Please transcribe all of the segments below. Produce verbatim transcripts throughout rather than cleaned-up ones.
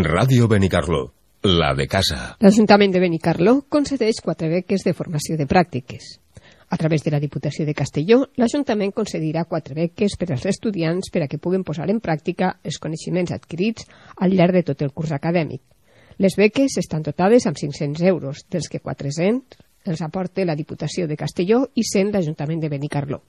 Ràdio Benicarló, la de casa. L'Ajuntament de Benicarló concedeix quatre beques de formació de pràctiques. A través de la Diputació de Castelló, l'Ajuntament concedirà quatre beques per als estudiants per a que puguen posar en pràctica els coneixements adquirits al llarg de tot el curs acadèmic. Les beques estan dotades amb cinc-cents euros, dels que quatre-cents els aporta la Diputació de Castelló i cent l'Ajuntament de Benicarló.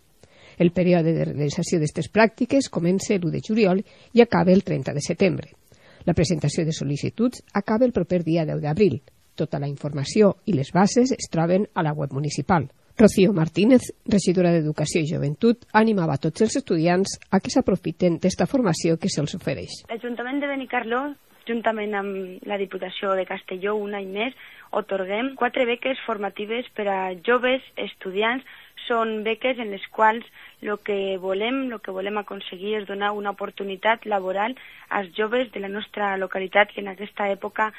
El període de realització d'aquestes pràctiques comença l'u de juliol i acaba el trenta de setembre. La presentació de sol·licituds acaba el proper dia deu d'abril. Tota la informació i les bases es troben a la web municipal. Rocío Martínez, regidora d'Educació i Joventut, animava a tots els estudiants a que s'aprofiten d'esta formació que se'ls ofereix. L'Ajuntament de Benicarló, juntament amb la Diputació de Castelló, un any més, otorguem quatre beques formatives per a joves estudiants. Són beques en les quals el que volem, el que volem aconseguir és donar una oportunitat laboral als joves de la nostra localitat que en aquesta època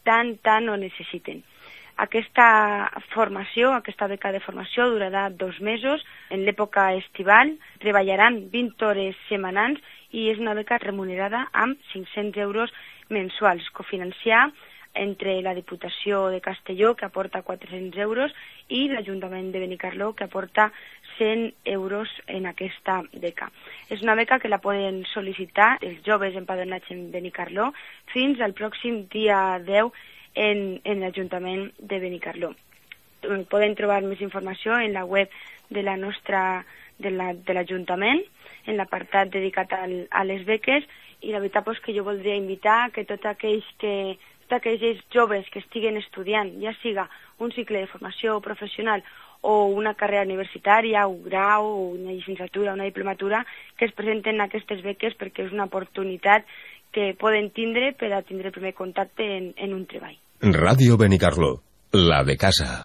tant, tant ho necessiten. Aquesta formació, aquesta beca de formació durarà dos mesos. En l'època estival treballaran vint hores setmanals i és una beca remunerada amb cinc-cents euros mensuals, cofinanciar entre la Diputació de Castelló, que aporta quatre-cents euros, i l'Ajuntament de Benicarló, que aporta cent euros en aquesta beca. És una beca que la poden sol·licitar els joves empadronats en Benicarló fins al pròxim dia deu en, en l'Ajuntament de Benicarló. Poden trobar més informació en la web de la nostra de la, de l'Ajuntament, en l'apartat dedicat al, a les beques, i la veritat és que jo voldria invitar que tots aquells que tots aquells joves que estiguen estudiant, ja siga un cicle de formació professional o una carrera universitària, un grau, una llicenciatura, una diplomatura, que es presenten aquestes beques perquè és una oportunitat que poden tindre per a tindre el primer contacte en, en un treball. Ràdio Benicarló, la de casa.